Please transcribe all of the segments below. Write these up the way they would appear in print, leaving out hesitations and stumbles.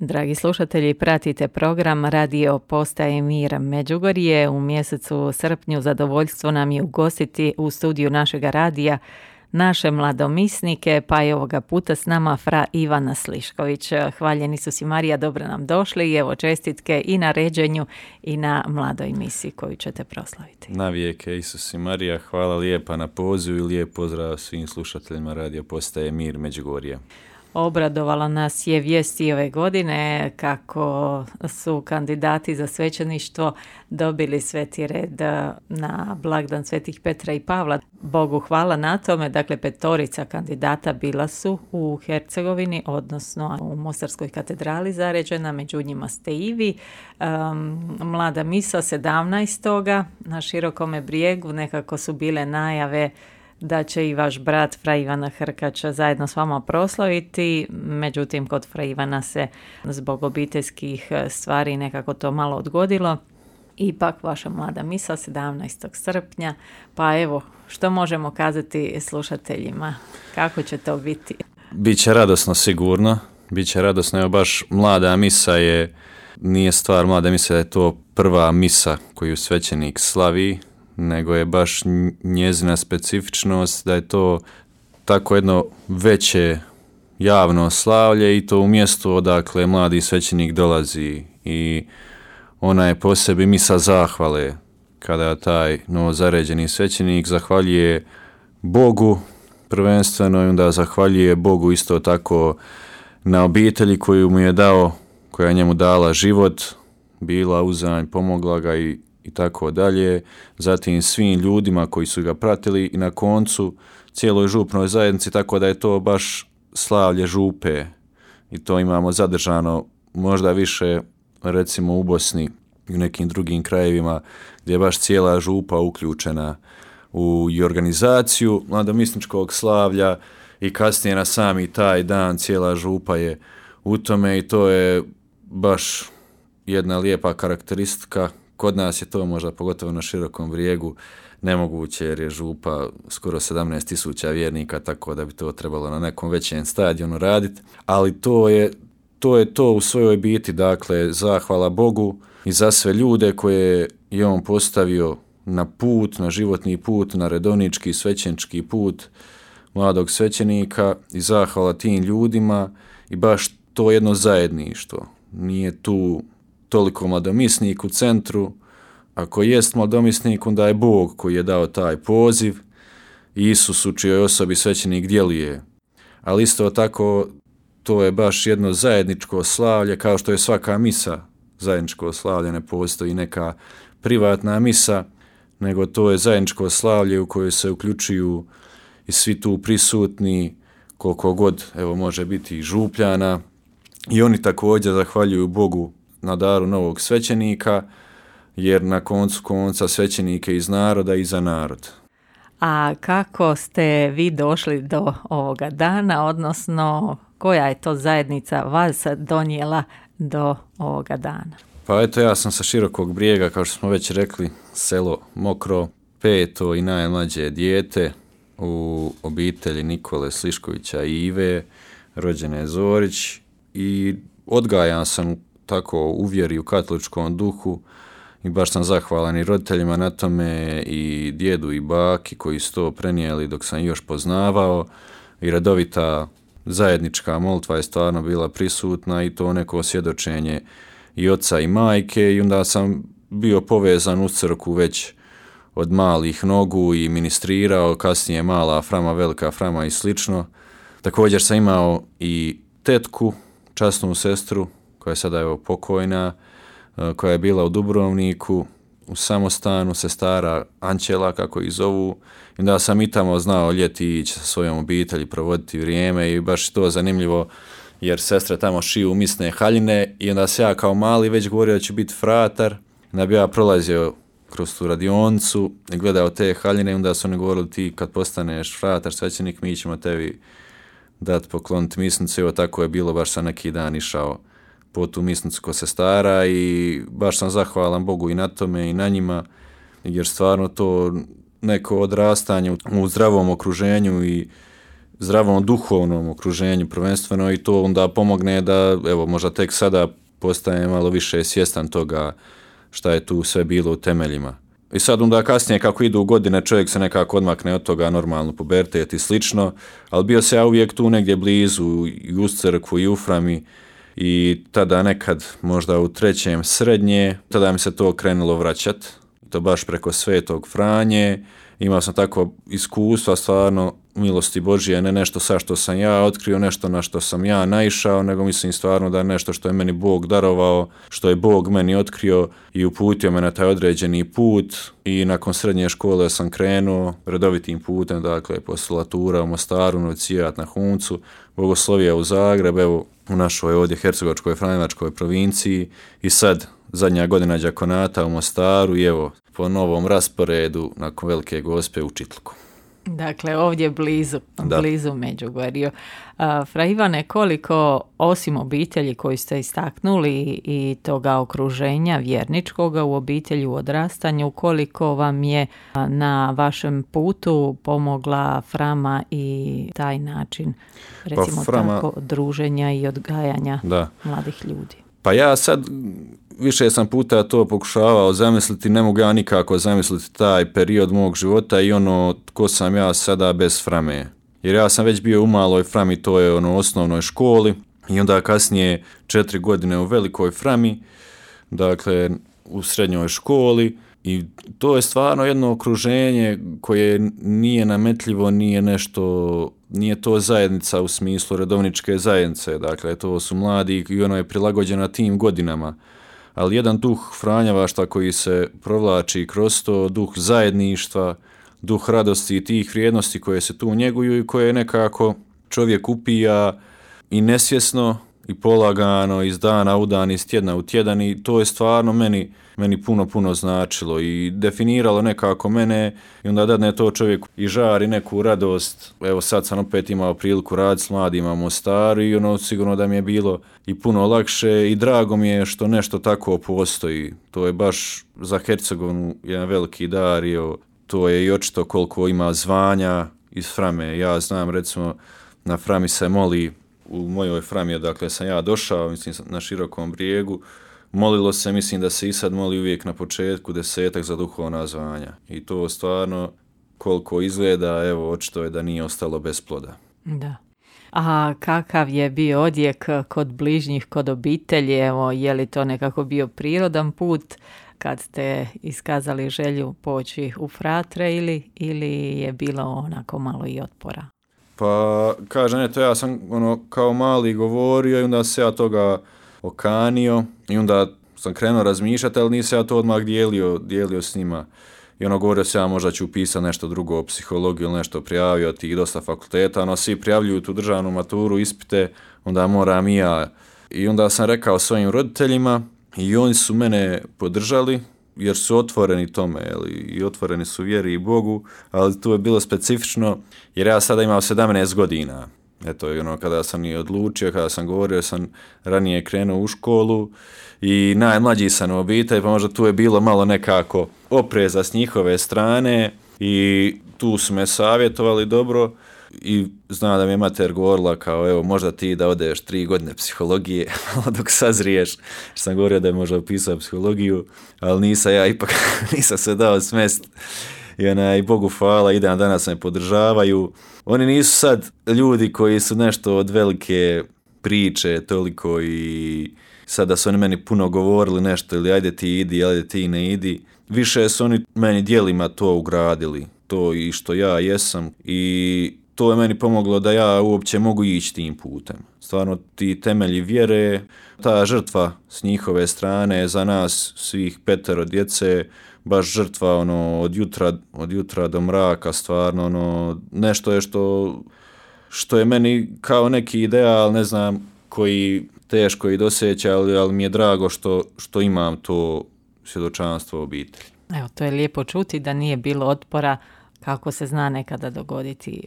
Dragi slušatelji, pratite program Radio Postaje Mir Međugorje. U mjesecu srpnju zadovoljstvo nam je ugostiti u studiju našega radija naše mladomisnike, pa je ovoga puta s nama fra Ivana Slišković. Hvaljeni su si Marija, dobro nam došli i evo čestitke i na ređenju i na mladoj misiji koju ćete proslaviti. Navijeke Isus i Marija, hvala lijepa na pozivu i lijep pozdrav svim slušateljima Radio Postaje Mir Međugorje. Obradovala nas je vijesti ove godine kako su kandidati za svećeništvo dobili sveti red na blagdan svetih Petra i Pavla. Bogu hvala na tome, dakle 5 kandidata bila su u Hercegovini, odnosno u Mostarskoj katedrali zaređena, među njima ste i vi. Mlada misa 17. na Širokome Brijegu, nekako su bile najave da će i vaš brat fra Ivana Hrkača zajedno s vama proslaviti, međutim kod fra Ivana se zbog obiteljskih stvari nekako to malo odgodilo. Ipak vaša mlada misa 17. srpnja, pa evo, što možemo kazati slušateljima, kako će to biti? Biće radosno sigurno, biće radosno, evo baš mlada misa nije stvar mlada misa da je to prva misa koju svećenik slavi, nego je baš njezina specifičnost da je to tako jedno veće javno slavlje i to u mjestu odakle mladi svećenik dolazi i ona je po sebi misa zahvale kada taj novozaređeni svećenik zahvaljuje Bogu prvenstveno i onda zahvaljuje Bogu isto tako na obitelji koju mu je dao, koja je njemu dala život, bila uzanj, pomogla ga i tako dalje, zatim svim ljudima koji su ga pratili i na koncu cijeloj župnoj zajednici, tako da je to baš slavlje župe i to imamo zadržano možda više recimo u Bosni i u nekim drugim krajevima gdje je baš cijela župa uključena u organizaciju mladomisničkog slavlja i kasnije na sami taj dan cijela župa je u tome i to je baš jedna lijepa karakteristika. Kod nas je to možda pogotovo na Širokom Brijegu nemoguće jer je župa skoro 17.000 vjernika, tako da bi to trebalo na nekom većem stadionu raditi. Ali to je to u svojoj biti, dakle, zahvala Bogu i za sve ljude koje je on postavio na put, na životni put, na redovnički svećenički put mladog svećenika i zahvala tim ljudima i baš to jedno zajedništvo. Nije tu toliko mladomisnik u centru, ako jest mladomisnik, onda je Bog koji je dao taj poziv, Isus u čijoj osobi svećenik djeluje. Ali isto tako, to je baš jedno zajedničko slavlje, kao što je svaka misa zajedničko slavlje, ne postoji neka privatna misa, nego to je zajedničko slavlje u kojoj se uključuju i svi tu prisutni, koliko god evo može biti i župljana, i oni također zahvaljuju Bogu na daru novog svećenika, jer na koncu konca svećenik je iz naroda i za narod. A kako ste vi došli do ovoga dana, odnosno koja je to zajednica vas donijela do ovoga dana? Pa eto, ja sam sa Širokog Brijega, kao što smo već rekli, selo Mokro, 5. i najmlađe dijete u obitelji Nikole Sliškovića i Ive, rođene Zorić, i odgajan sam tako u vjeri, u katoličkom duhu i baš sam zahvalan i roditeljima na tome i djedu i baki koji su to prenijeli dok sam još poznavao i redovita zajednička molitva je stvarno bila prisutna i to neko svjedočenje i oca i majke i onda sam bio povezan uz crkvu već od malih nogu i ministrirao, kasnije mala frama, velika frama i slično. Također sam imao i tetku, časnu sestru, koja je sada evo pokojna, koja je bila u Dubrovniku, u samostanu, sestara Ančela, kako ih zovu. I onda sam i tamo znao ljeti ići sa svojom obitelji, provoditi vrijeme i baš to zanimljivo, jer sestre tamo šiju misne haljine i onda se ja kao mali već govorio da ću biti fratar. Onda bi ja prolazio kroz tu radionicu i gledao te haljine i onda su oni govorili ti kad postaneš fratar, svećenik, mi ćemo tebi dati pokloniti misnicu. Evo tako je bilo, baš sam neki dan išao po tu misnicu ko sestara i baš sam zahvalan Bogu i na tome i na njima, jer stvarno to neko odrastanje u zdravom okruženju i zdravom duhovnom okruženju prvenstveno i to onda pomogne da, evo, možda tek sada postaje malo više svjestan toga šta je tu sve bilo u temeljima. I sad onda kasnije kako idu godine čovjek se nekako odmakne od toga, normalno pubertet i slično, ali bio se ja uvijek tu negdje blizu i uz crkvu i u Frami i tada nekad možda u 3. srednje, tada mi se to krenulo vraćat, to baš preko Svetog Franje. Imao sam tako iskustva, stvarno milosti Božije, ne nešto sa što sam ja otkrio, nešto na što sam ja naišao, nego mislim stvarno da je nešto što je meni Bog darovao, što je Bog meni otkrio i uputio me na taj određeni put i nakon srednje škole sam krenuo redovitim putem, dakle poslatura u Mostaru, novicijat na Huncu, bogoslovija u Zagreb, evo u našoj ovdje hercegovačkoj franjevačkoj provinciji i sad zadnja godina đakonata u Mostaru i evo po novom rasporedu nakon Velike Gospe u Čitlku. Dakle, ovdje blizu Međugorju. Fra Ivane, koliko osim obitelji koju ste istaknuli i toga okruženja vjerničkoga u obitelji u odrastanju, koliko vam je na vašem putu pomogla Frama i taj način, recimo tako, druženja i odgajanja mladih ljudi? Pa ja sad više sam puta to pokušavao zamisliti, ne mogu ja nikako zamisliti taj period mog života i ono tko sam ja sada bez Frame. Jer ja sam već bio u maloj Frami, to je osnovnoj školi i onda kasnije 4 godine u velikoj Frami, dakle u srednjoj školi i to je stvarno jedno okruženje koje nije nametljivo, nije to zajednica u smislu redovničke zajednice, dakle to su mladi i ono je prilagođeno tim godinama. Ali jedan duh franjevaštva koji se provlači kroz to, duh zajedništva, duh radosti i tih vrijednosti koje se tu njeguju i koje nekako čovjek upija i nesvjesno i polagano iz dana u dan, iz tjedna u tjedan i to je stvarno meni puno značilo i definiralo nekako mene i onda dadne to čovjek i žari neku radost. Evo sad sam opet imao priliku raditi s mladima u Mostaru i sigurno da mi je bilo i puno lakše i drago mi je što nešto tako postoji. To je baš za Hercegovinu jedan veliki dar i to je i očito koliko ima zvanja iz Frame. Ja znam recimo na Frami se moli, u mojoj Frami, dakle sam ja došao, mislim na Širokom brijegu, molilo se, mislim da se i sad moli uvijek na početku 10 za duhovna zvanja. I to stvarno koliko izgleda, evo očito je da nije ostalo bez ploda. Da. A kakav je bio odjek kod bližnjih, kod obitelji? Evo, je li to nekako bio prirodan put kad ste iskazali želju poći u fratre ili je bilo onako malo i otpora? Pa, kažem, eto, ja sam kao mali govorio i onda se ja toga okanio i onda sam krenuo razmišljati, ali nisam ja to odmah dijelio s njima. I govorio se ja možda ću upisati nešto drugo, psihologiju ili nešto, prijavio tih dosta fakulteta, svi prijavljuju tu državnu maturu, ispite, onda moram i ja. I onda sam rekao svojim roditeljima i oni su mene podržali, jer su otvoreni tome i otvoreni su vjeri i Bogu, ali tu je bilo specifično jer ja sada imam 17 godina. Eto, kada sam i odlučio, kada sam govorio, sam ranije krenuo u školu i najmlađi sam u obitelji, pa možda tu je bilo malo nekako opreza s njihove strane i tu su me savjetovali dobro i zna da mi je mater govorila kao evo možda ti da odeš 3 godine psihologije dok sazriješ, što sam govorio da je možda upisao psihologiju, ali nisam se dao smest i Bogu hvala, i dan danas me podržavaju. Oni nisu sad ljudi koji su nešto od velike priče toliko i sada su oni meni puno govorili nešto ili ajde ti idi, ajde ti ne idi. Više su oni meni dijelima to ugradili, to i što ja jesam i to je meni pomoglo da ja uopće mogu ići tim putem. Stvarno ti temelji vjere, ta žrtva s njihove strane za nas svih 5 djece, baš žrtva od jutra do mraka, stvarno nešto je što je meni kao neki ideal, ne znam, koji teško i doseća, ali mi je drago što imam to svjedočanstvo obitelji. Evo, to je lijepo čuti da nije bilo otpora kako se zna nekada dogoditi.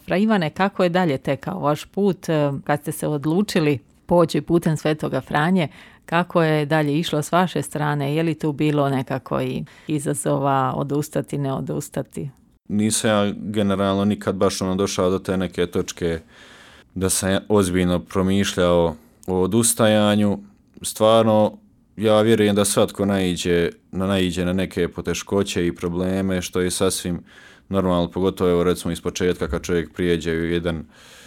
Fra Ivane, kako je dalje tekao vaš put kad ste se odlučili poći putem Svetoga Franje? Kako je dalje išlo s vaše strane? Je li tu bilo nekako i izazova odustati, ne odustati? nisam ja generalno nikad baš došao do te neke točke da sam ozbiljno promišljao o odustajanju. Stvarno, ja vjerujem da svatko naiđe na neke poteškoće i probleme, što je sasvim normalno, pogotovo evo recimo iz početka kad čovjek prijeđe u jedan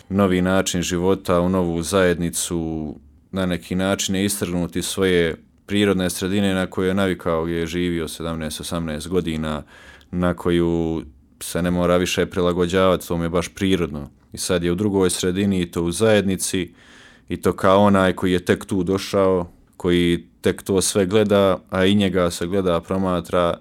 novi način života, u novu zajednicu, na neki način je istrgnuti svoje prirodne sredine na koju je navikao, gdje je živio 17-18 godina, na koju se ne mora više prilagođavati, to mu je baš prirodno. I sad je u drugoj sredini i to u zajednici i to kao onaj koji je tek tu došao, koji tek to sve gleda, a i njega se gleda, promatra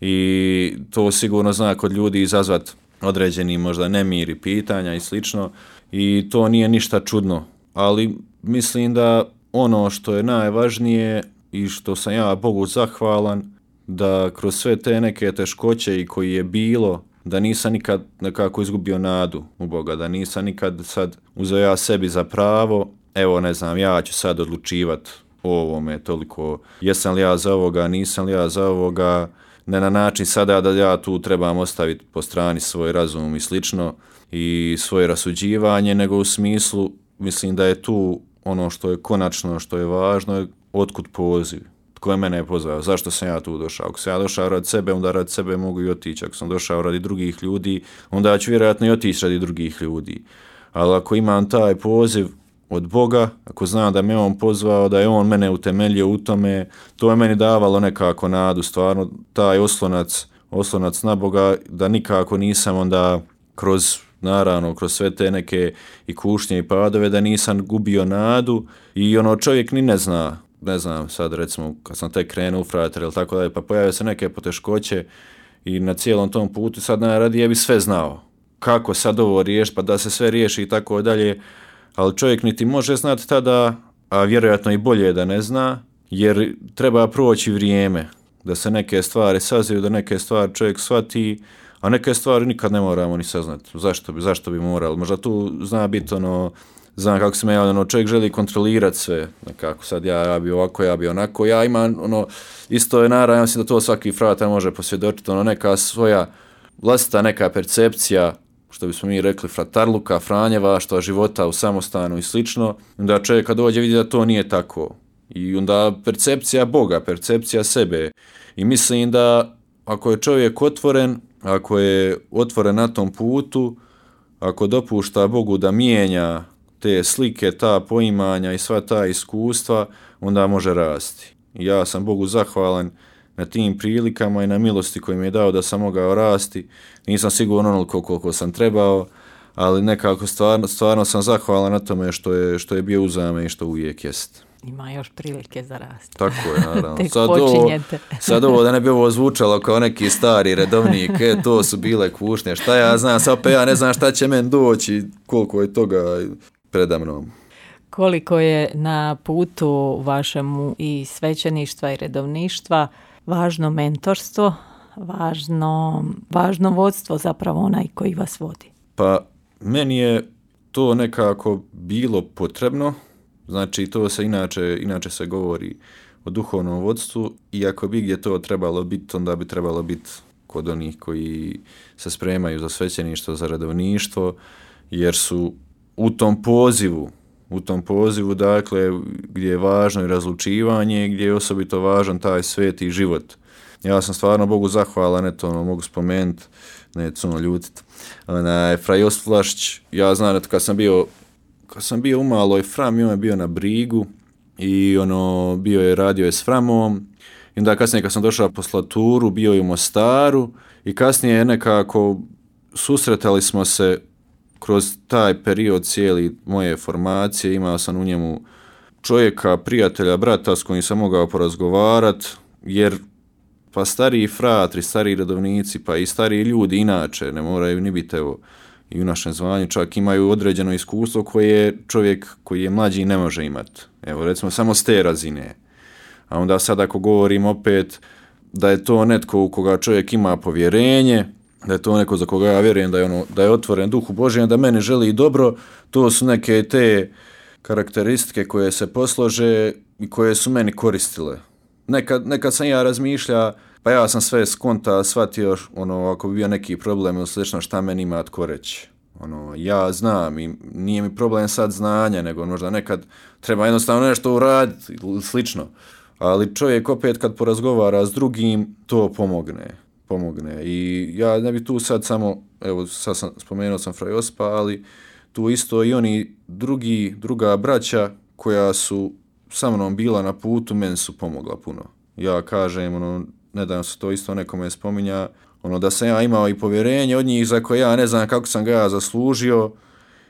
i to sigurno zna kod ljudi izazvat određeni možda nemir i pitanja i slično i to nije ništa čudno, ali mislim da ono što je najvažnije i što sam ja Bogu zahvalan, da kroz sve te neke teškoće i koji je bilo, da nisam nikad nekako izgubio nadu u Boga, da nisam nikad sad uzeo ja sebi za pravo, evo ne znam, ja ću sad odlučivat o ovome toliko, jesam li ja za ovoga, nisam li ja za ovoga, ne na način sada da ja tu trebam ostaviti po strani svoj razum i slično i svoje rasuđivanje, nego u smislu, mislim da je tu ono što je konačno, što je važno, otkud poziv. Tko je mene pozvao? Zašto sam ja tu došao? Ako sam ja došao radi sebe, onda radi sebe mogu i otići. Ako sam došao radi drugih ljudi, onda ću vjerojatno i otići radi drugih ljudi. Ali ako imam taj poziv od Boga, ako znam da me on pozvao, da je on mene utemeljio u tome, to je meni davalo nekako nadu, stvarno taj oslonac na Boga, da nikako nisam onda kroz sve te neke i kušnje i padove, da nisam gubio nadu i ono čovjek ni ne znam, sad recimo kad sam tek krenuo u frater ili tako dalje, pa pojave se neke poteškoće i na cijelom tom putu sad najradije bi sve znao. Kako sad ovo riješiti, pa da se sve riješi i tako dalje, ali čovjek niti može znati tada, a vjerojatno i bolje da ne zna, jer treba proći vrijeme, da se neke stvari saziju, da neke stvari čovjek shvati, a neke stvari nikad ne moramo ni saznati. Zašto bi morali? Možda tu zna biti znam kako se me javljeno, čovjek želi kontrolirati sve, nekako sad ja bi ovako, ja bi onako, ja imam isto je naravno, ja mislim da to svaki fratar može posvjedočiti, neka svoja vlastita neka percepcija, što bismo mi rekli fratarluka, franjevaštva, života u samostanu i slično, onda čovjek kad dođe vidi da to nije tako. I onda percepcija Boga, percepcija sebe. I mislim da ako je čovjek otvoren, ako je otvoren na tom putu, ako dopušta Bogu da mijenja te slike, ta poimanja i sva ta iskustva, onda može rasti. I ja sam Bogu zahvalan na tim prilikama i na milosti koju mi je dao da sam mogao rasti. Nisam sigurno onoliko koliko sam trebao, ali nekako stvarno sam zahvalan na tome što je bio uzame i što uvijek jest. Ima još prilike za rast. Tako je, naravno. Tek počinjete. Sad ovo da ne bi ovo zvučalo kao neki stari redovnik, to su bile kušnje, šta ja znam, sad pa ja ne znam šta će meni doći, koliko je toga predamnom. Koliko je na putu vašemu i svećeništva i redovništva važno mentorstvo, važno vodstvo, zapravo onaj koji vas vodi? Pa meni je to nekako bilo potrebno, znači to se inače se govori o duhovnom vodstvu i ako bi gdje to trebalo biti, onda bi trebalo biti kod onih koji se spremaju za svećeništvo, za redovništvo, jer su u tom pozivu, dakle, gdje je važno i razlučivanje, gdje je osobito važan taj sveti život. Ja sam stvarno Bogu zahvalan, mogu spomenuti, ne cuno ljutit. Fra Josip Vlašić, ja znam, kad sam bio u maloj Frami, on je bio na Brigu i radio je s Framom. I onda kasnije kad sam došao po Slaturu, bio je u Mostaru i kasnije nekako susretali smo se kroz taj period cijeli moje formacije, imao sam u njemu čovjeka, prijatelja, brata s kojim sam mogao porazgovarati, jer pa stariji fratri, stariji redovnici, pa i stariji ljudi inače, ne moraju ni biti i u našem zvanju, čak imaju određeno iskustvo koje čovjek koji je mlađi ne može imati. Evo, recimo, samo s te razine. A onda sad ako govorim opet da je to netko u koga čovjek ima povjerenje, da je to neko za koga ja vjerujem da je otvoren Duhu Božijem, da mene želi dobro, to su neke te karakteristike koje se poslože i koje su meni koristile. Nekad sam ja razmišljao pa ja sam sve skonta shvatio, ako bi bio neki problem ili slično, šta meni ima tko reći. Ja znam i nije mi problem sad znanja, nego možda nekad treba jednostavno nešto uraditi ili slično. Ali čovjek opet kad porazgovara s drugim, to pomogne. I ja ne bi tu sad samo, evo sad spomenuo sam Fra Josipa, ali tu isto i oni druga braća koja su sa mnom bila na putu, meni su pomogla puno. Ja kažem, nedavno se to isto nekome spominja, da sam ja imao i povjerenje od njih za koje ja ne znam kako sam ga ja zaslužio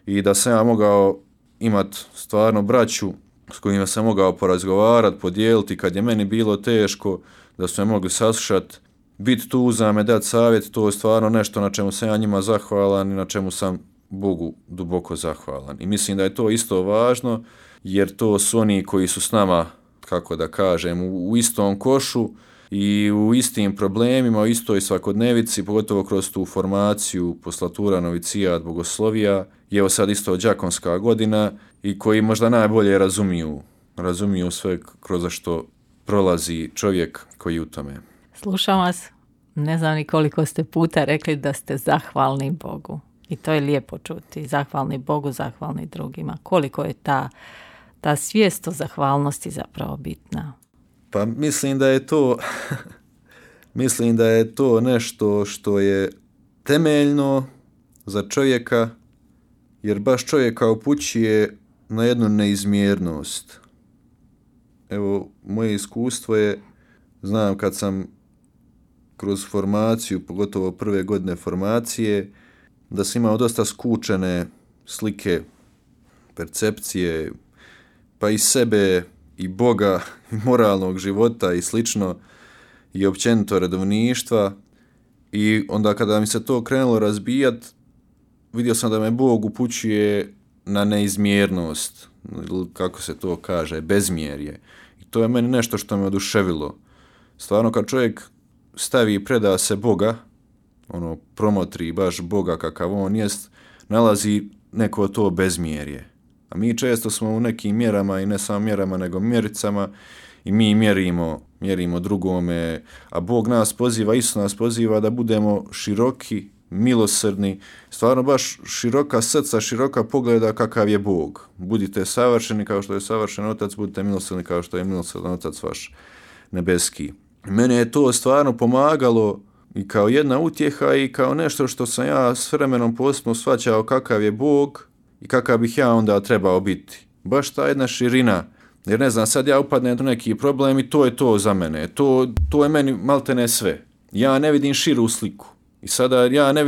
i da sam ja mogao imati stvarno braću s kojima sam mogao porazgovarati, podijeliti kad je meni bilo teško, da su me mogli saslušati, biti tu za me, dati savjet, to je stvarno nešto na čemu sam ja njima zahvalan i na čemu sam Bogu duboko zahvalan. I mislim da je to isto važno, jer to su oni koji su s nama, kako da kažem, u istom košu i u istim problemima, u istoj svakodnevici, pogotovo kroz tu formaciju poslatura, novicijat, bogoslovija, je evo sad isto đakonska godina i koji možda najbolje razumiju sve kroz što prolazi čovjek koji u tome. Slušam vas, ne znam ni koliko ste puta rekli da ste zahvalni Bogu. I to je lijepo čuti. Zahvalni Bogu, zahvalni drugima. Koliko je ta svijest o zahvalnosti zapravo bitna? Pa mislim da je to nešto što je temeljno za čovjeka, jer baš čovjeka upućuje na jednu neizmjernost. Evo, moje iskustvo je, znam kad sam kroz formaciju, pogotovo prve godine formacije, da sam imao dosta skučene slike, percepcije, pa i sebe, i Boga, i moralnog života i slično, i općenito redovništva. I onda kada mi se to krenulo razbijat, vidio sam da me Bog upućuje na neizmjernost, ili kako se to kaže, bezmjerje. I to je meni nešto što me oduševilo. Stvarno kad čovjek stavi i preda se Boga, promotri baš Boga kakav on jest, nalazi neko to bezmjerje. A mi često smo u nekim mjerama, i ne samo mjerama, nego mjericama, i mi mjerimo drugome, a Bog nas poziva, Isus nas poziva da budemo široki, milosrdni, stvarno baš široka srca, široka pogleda kakav je Bog. Budite savršeni kao što je savršen Otac, budite milosrdni kao što je milosrdan Otac vaš nebeski. Mene je to stvarno pomagalo i kao jedna utjeha i kao nešto što sam ja s vremenom posebno shvaćao kakav je Bog i kakav bih ja onda trebao biti. Baš ta jedna širina, jer ne znam, sad ja upadnem u neki problem i to je to za mene. To je meni maltene sve. Ja ne vidim širu sliku. I sada ja ne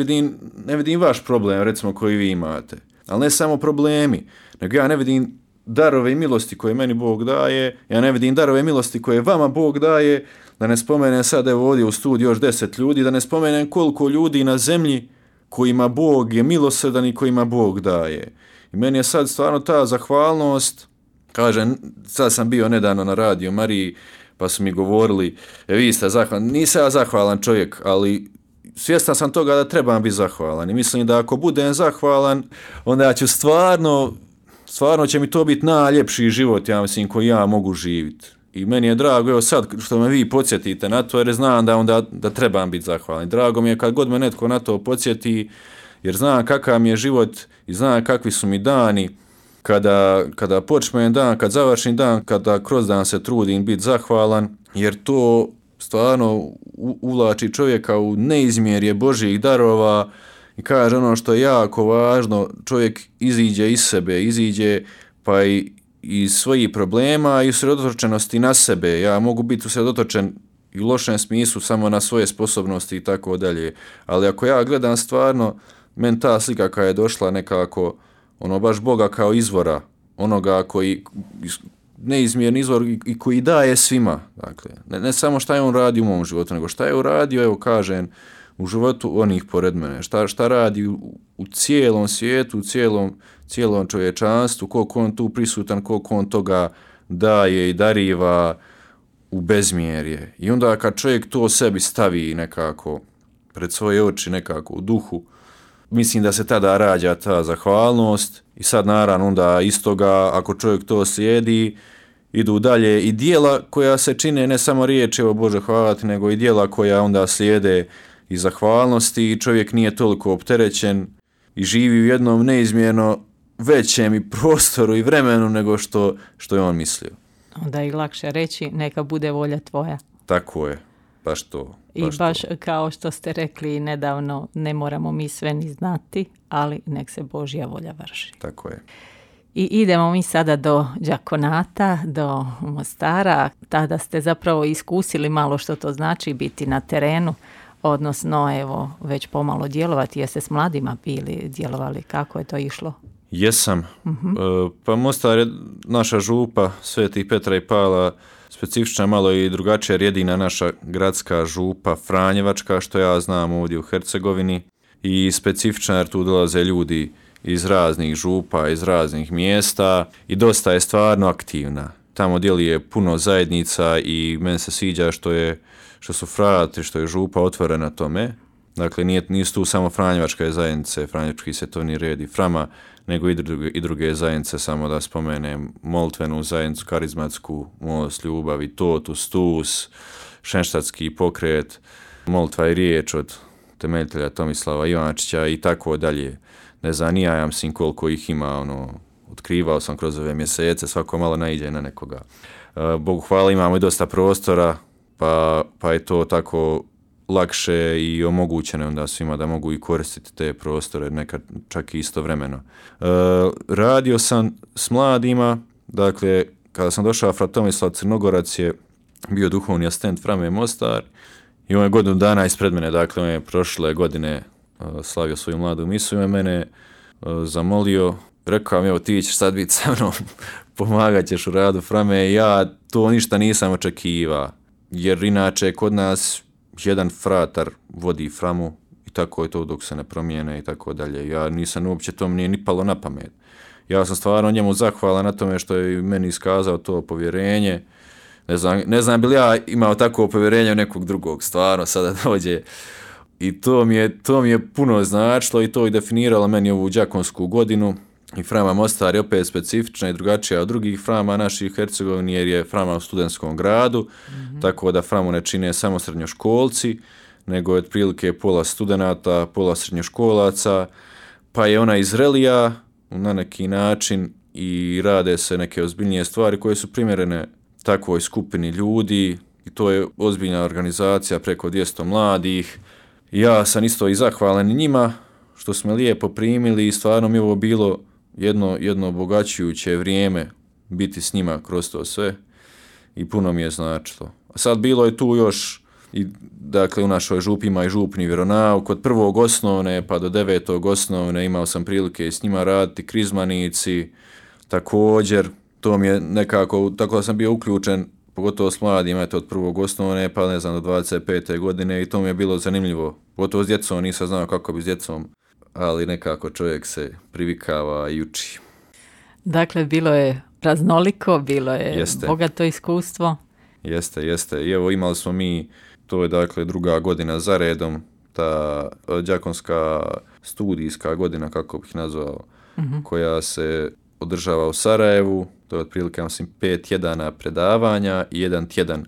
vidim vaš problem, recimo, koji vi imate. Ali ne samo problemi, nego ja ne vidim darove i milosti koje meni Bog daje, ja ne vidim darove i milosti koje vama Bog daje, da ne spomenem sad evo ovdje u studiju još 10 ljudi, da ne spomenem koliko ljudi na zemlji kojima Bog je milosrdan i kojima Bog daje. I meni je sad stvarno ta zahvalnost, kažem, sad sam bio nedavno na Radio Mariji, pa su mi govorili, vi ste zahvalni, nisam ja zahvalan čovjek, ali svjestan sam toga da trebam biti zahvalan i mislim da ako budem zahvalan, onda ću stvarno će mi to biti najljepši život, ja mislim, koji ja mogu živjeti. I meni je drago, evo sad što me vi podsjetite na to, jer znam da trebam biti zahvalan. Drago mi je kad god me netko na to podsjeti, jer znam kakav mi je život i znam kakvi su mi dani, kada počnem dan, kad završim dan, kada kroz dan se trudim biti zahvalan, jer to stvarno uvlači čovjeka u neizmjerje Božjih darova i kaže ono što je jako važno, čovjek iziđe iz sebe, iziđe pa i iz svojih problema i usredotočenosti na sebe. Ja mogu biti usredotočen i u lošem smislu samo na svoje sposobnosti i tako dalje, ali ako ja gledam stvarno, meni ta slika koja je došla nekako, baš Boga kao izvora, onoga koji neizmjerni izvor i koji daje svima. Dakle, ne samo šta je on radi u mom životu, nego šta je uradio, evo kažem, u životu onih pored mene. Šta radi u cijelom svijetu, u cijelom čovječanstvu, koliko on tu prisutan, koliko on toga daje i dariva u bezmjerje. I onda kad čovjek to sebi stavi nekako pred svoje oči, nekako u duhu, mislim da se tada rađa ta zahvalnost i sad naravno onda iz toga, ako čovjek to slijedi idu dalje i dijela koja se čine, ne samo riječi o Bože hvala ti, nego i dijela koja onda slijede i zahvalnosti i čovjek nije toliko opterećen i živi u jednom neizmjerno većem i prostoru i vremenu nego što je on mislio. Onda je lakše reći neka bude volja tvoja. Tako je, baš to. I baš kao što ste rekli nedavno, ne moramo mi sve ni znati, ali nek se Božja volja vrši. Tako je. I idemo mi sada do Đakonata, do Mostara. Tada ste zapravo iskusili malo što to znači biti na terenu, odnosno evo već pomalo djelovati. Jeste s mladima bili djelovali? Kako je to išlo? Jesam. Pa Mostar je naša župa Svetih Petra i Pavla, specifična malo i drugačija, jer jedina naša gradska župa Franjevačka, što ja znam ovdje u Hercegovini, i specifična jer tu dolaze ljudi iz raznih župa, iz raznih mjesta i dosta je stvarno aktivna. Tamo djeluje puno zajednica i meni se sviđa što su frati, što je župa otvorena tome. Dakle, nisu tu samo Franjevačke zajednice, Franjevački svetovni red i Frama, nego i druge zajednice, samo da spomenem Molitvenu zajednicu, karizmatsku, Most, Ljubav i Totus, Stus, Šenštatski pokret, Molitva i riječ od temeljitelja Tomislava Ivančića i tako dalje. Ne znam, ja mislim koliko ih ima, otkrivao sam kroz ove mjesece, svako malo naiđe na nekoga. Bogu hvala, imamo i dosta prostora, pa je to tako lakše i omogućeno onda svima da mogu i koristiti te prostore, nekad čak i istovremeno. Radio sam s mladima, dakle, kada sam došao, fra Tomislav Crnogorac je bio duhovni asistent Frame Mostar i on je godinu dana ispred mene, dakle, on je prošle godine slavio svoju mladu misu i mene zamolio, rekao mi, evo ti ćeš sad biti sa mnom, pomagat ćeš u radu Frame, ja to ništa nisam očekivao, jer inače kod nas jedan fratar vodi Framu i tako je to dok se ne promijene i tako dalje. Ja nisam uopće, to mi nije ni palo na pamet. Ja sam stvarno njemu zahvalan na tome što je meni iskazao to povjerenje. Ne znam bi li ja imao takvo povjerenje u nekog drugog, stvarno sada dođe. I to mi je puno značilo i to je definiralo meni ovu đakonsku godinu. I Frama Mostar je opet specifična i drugačija od drugih Frama naših Hercegovini, jer je Frama u studentskom gradu, tako da Framu ne čine samo srednjoškolci, nego je otprilike pola studenata, pola srednjoškolaca, pa je ona izrelija na neki način i rade se neke ozbiljnije stvari koje su primjerene takvoj skupini ljudi i to je ozbiljna organizacija preko 200 mladih. Ja sam isto i zahvalan njima što smo lijepo primili i stvarno mi je ovo bilo jedno obogaćujuće vrijeme biti s njima kroz to sve i puno mi je značilo. A sad bilo je tu još, dakle u našoj župi ima i župni vjeronauk, od 1. osnovne pa do 9. osnovne imao sam prilike s njima raditi, krizmanici, također, to mi je nekako, tako da sam bio uključen, pogotovo s mladima, od 1. osnovne pa ne znam do 25. godine i to mi je bilo zanimljivo, pogotovo s djecom, nisam znao kako bi s djecom, ali nekako čovjek se privikava i uči. Dakle, bilo je raznoliko, bilo je bogato iskustvo. Jeste. I evo imali smo mi, to je dakle 2. godina za redom, ta đakonska studijska godina, kako bih nazvao, koja se održava u Sarajevu, to je otprilike, mislim, 5 tjedana predavanja i 1 tjedan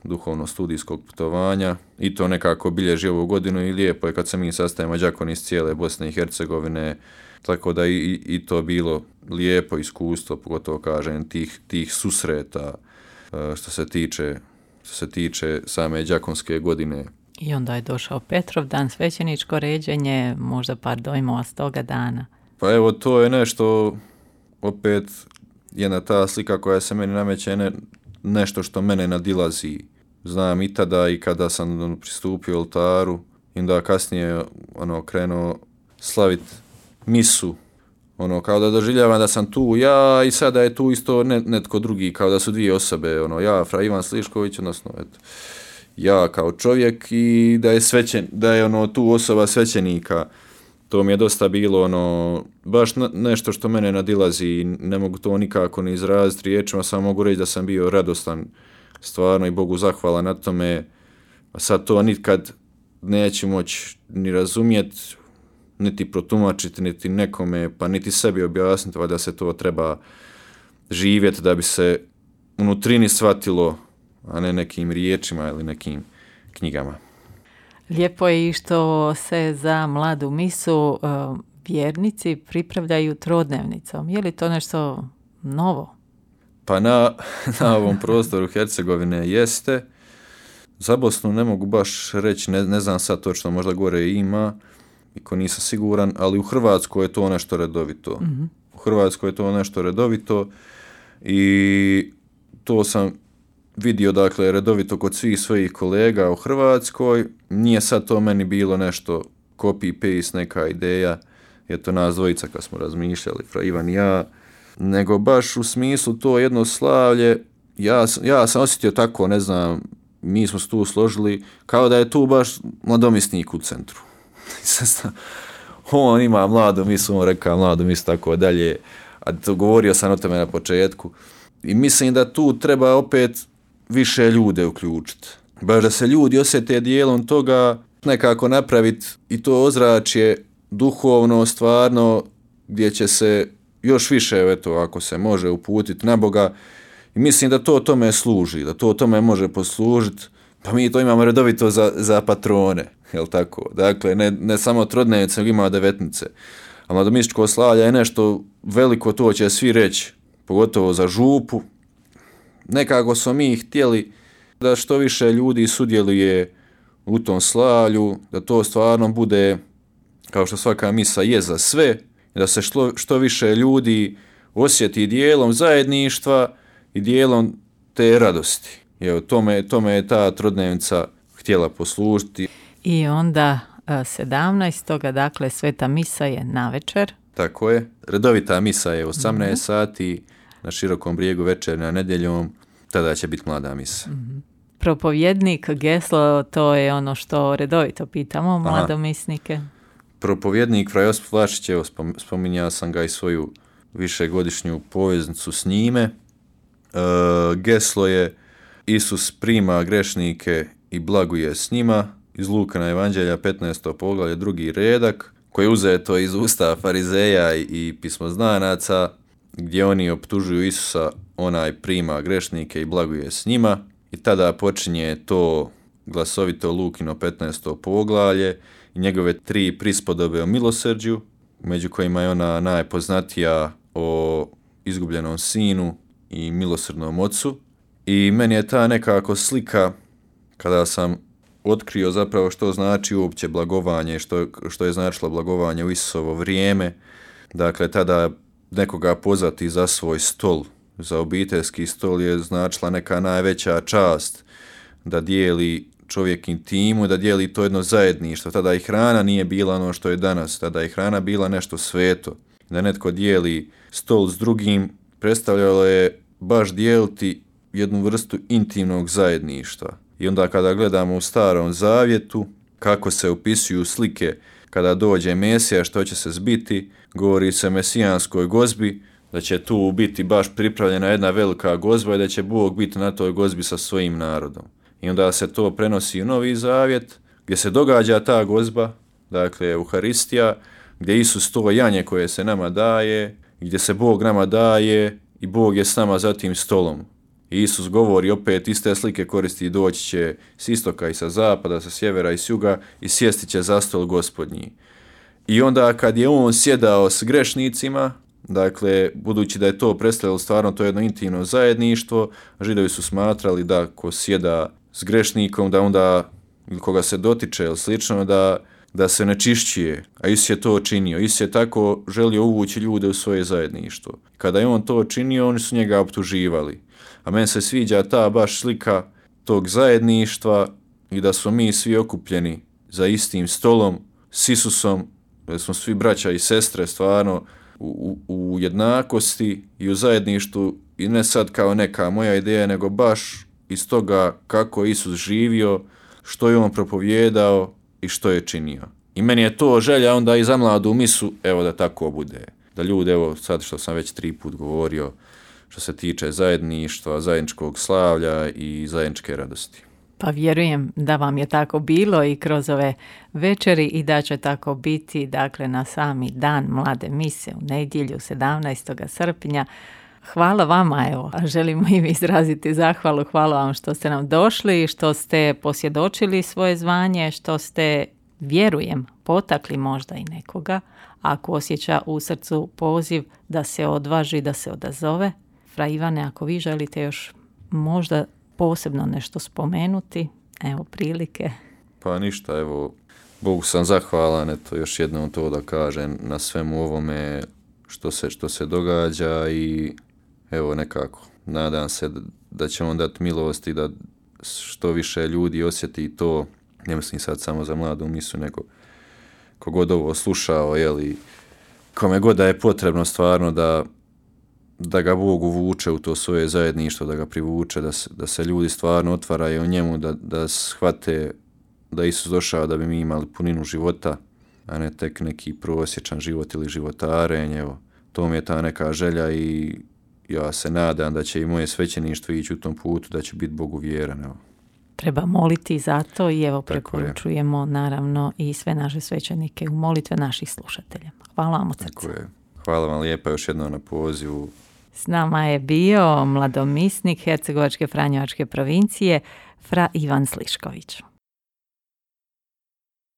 duhovno-studijskog putovanja i to nekako bilježi ovu godinu i lijepo je kad se mi sastajemo đakoni iz cijele Bosne i Hercegovine, tako da i to bilo lijepo iskustvo, pogotovo kažem tih susreta što se tiče same đakonske godine. I onda je došao Petrovdan, svećeničko ređenje, možda par dojmova s toga dana. Pa evo, to je nešto, opet jedna ta slika koja se meni nameće, nešto što mene nadilazi. Znam i tada i kada sam pristupio oltaru i onda kasnije krenuo slaviti misu, kao da doživljavam da sam tu ja i sada je tu isto netko drugi, kao da su dvije osobe, ja, fra Ivan Slišković, odnosno ja kao čovjek i da je tu osoba svećenika. To mi je dosta bilo baš nešto što mene nadilazi i ne mogu to nikako ni izraziti riječima, samo mogu reći da sam bio radostan stvarno i Bogu zahvalan na tome. A sad to nikad neću moći ni razumjeti, niti protumačiti, niti nekome, pa niti sebi objasniti, da se to treba živjeti da bi se unutrini shvatilo, a ne nekim riječima ili nekim knjigama. Lijepo je i što se za mladu misu vjernici pripravljaju trodnevnicom. Je li to nešto novo? Pa na ovom prostoru Hercegovine jeste. Za Bosnu ne mogu baš reći, ne znam sad točno, možda gore ima, iko nisam siguran, ali u Hrvatskoj je to nešto redovito. Mm-hmm. U Hrvatskoj je to nešto redovito i to sam vidio, dakle, redovito kod svih svojih kolega u Hrvatskoj. Nije sad to meni bilo nešto copy-paste, neka ideja, je to nas dvojica kad smo razmišljali, Fra Ivan i ja, nego baš u smislu to jedno slavlje, ja sam osjetio tako, ne znam, mi smo se tu složili, kao da je tu baš mladomisnik u centru. On ima mladu misu, on rekao mladu misu, tako dalje, a to govorio sam o tome na početku. I mislim da tu treba opet više ljude uključiti. Baš da se ljudi osjete dijelom toga, nekako napraviti i to ozračje duhovno, stvarno, gdje će se još više, eto, ako se može uputiti na Boga. I mislim da to tome služi, da to tome može poslužiti. Pa mi to imamo redovito za patrone, jel tako? Dakle, ne samo trodnevnice, nego ima devetnice. A mladomističko slavlje je nešto veliko, to će svi reći, pogotovo za župu. Nekako smo mi htjeli da što više ljudi sudjeluje u tom slavlju, da to stvarno bude, kao što svaka misa je za sve, da se što više ljudi osjeti dijelom zajedništva i dijelom te radosti. Evo, tome je ta trodnevnica htjela poslužiti. I onda 17. dakle, sveta misa je navečer. Tako je. Redovita misa je 18 sati, na Širokom brijegu večernja nedjeljom, tada će biti mlada misa. Mm-hmm. Propovjednik, geslo, to je ono što redovito pitamo mladomisnike. Propovjednik Fra Josip Vlašić, evo, spominjao sam ga i svoju višegodišnju poveznicu s njime. Geslo je Isus prima grešnike i blaguje s njima, iz Lukana evanđelja 15. poglavlje 2. redak, koji je uzeto iz usta farizeja i pismoznanaca, gdje oni optužuju Isusa, onaj prima grešnike i blaguje s njima. I tada počinje to glasovito Lukino 15. poglavlje i njegove 3 prispodobe o milosrđu, među kojima je ona najpoznatija o izgubljenom sinu i milosrdnom ocu. I meni je ta nekako slika, kada sam otkrio zapravo što znači uopće blagovanje, što je značilo blagovanje u Isusovo vrijeme. Dakle, tada nekoga pozvati za svoj stol, za obiteljski stol je značila neka najveća čast, da dijeli čovjek intimu, da dijeli to jedno zajedništvo. Tada i hrana nije bila ono što je danas, tada je hrana bila nešto sveto. Da netko dijeli stol s drugim, predstavljalo je baš dijeliti jednu vrstu intimnog zajedništva. I onda kada gledamo u Starom Zavjetu, kako se opisuju slike kada dođe Mesija, što će se zbiti, govori se o mesijanskoj gozbi, da će tu biti baš pripravljena jedna velika gozba i da će Bog biti na toj gozbi sa svojim narodom. I onda se to prenosi u Novi Zavjet, gdje se događa ta gozba, dakle Euharistija, gdje Isus to janje koje se nama daje, gdje se Bog nama daje i Bog je s nama za tim stolom. I Isus govori, opet iste slike koristi, i doći će s istoka i sa zapada, sa sjevera i s juga i sjesti će za stol Gospodnji. I onda kad je on sjedao s grešnicima, dakle, budući da je to predstavljalo stvarno to jedno intimno zajedništvo, Židovi su smatrali da ko sjeda s grešnikom, da onda, ili koga se dotiče ili slično, da se nečišćuje. A Isus je to činio. Isus je tako želio uvući ljude u svoje zajedništvo. Kada je on to činio, oni su njega optuživali. A meni se sviđa ta baš slika tog zajedništva i da smo mi svi okupljeni za istim stolom s Isusom, da smo svi braća i sestre stvarno u jednakosti i u zajedništvu, i ne sad kao neka moja ideja, nego baš iz toga kako Isus živio, što je on propovijedao i što je činio. I meni je to želja onda i za mladu misu, evo da tako bude. Da ljudi, evo sad što sam već 3 put govorio, što se tiče zajedništva, zajedničkog slavlja i zajedničke radosti. Pa vjerujem da vam je tako bilo i kroz ove večeri i da će tako biti, dakle, na sami dan mlade mise u nedjelju 17. srpnja. Hvala vama, evo, želimo i mi izraziti zahvalu, hvala vam što ste nam došli, što ste posvjedočili svoje zvanje, što ste, vjerujem, potakli možda i nekoga, ako osjeća u srcu poziv da se odvaži, da se odazove. Fra Ivane, ako vi želite još možda posebno nešto spomenuti, evo prilike. Pa ništa, evo, Bogu sam zahvalan, eto, još jednom to da kažem, na svemu ovome što se događa i evo nekako, nadam se da će on dati milost i da što više ljudi osjeti to, ne mislim sad samo za mladu misu, nego kogod ovo slušao, jeli, kome god da je potrebno stvarno da ga Bog uvuče u to svoje zajedništvo, da ga privuče, da se ljudi stvarno otvaraju u njemu, da shvate da Isus došao da bi mi imali puninu života, a ne tek neki prosječan život ili životarenje. Evo, to mi je ta neka želja i ja se nadam da će i moje svećeništvo ići u tom putu, da će biti Bogu vjeran. Evo. Treba moliti za to i evo preporučujemo naravno i sve naše svećenike u molitve naših slušatelja. Hvala vam od srca. Hvala vam lijepa još jednom na pozivu. S nama je bio mladomisnik Hercegovačke Franjevačke provincije Fra Ivan Slišković.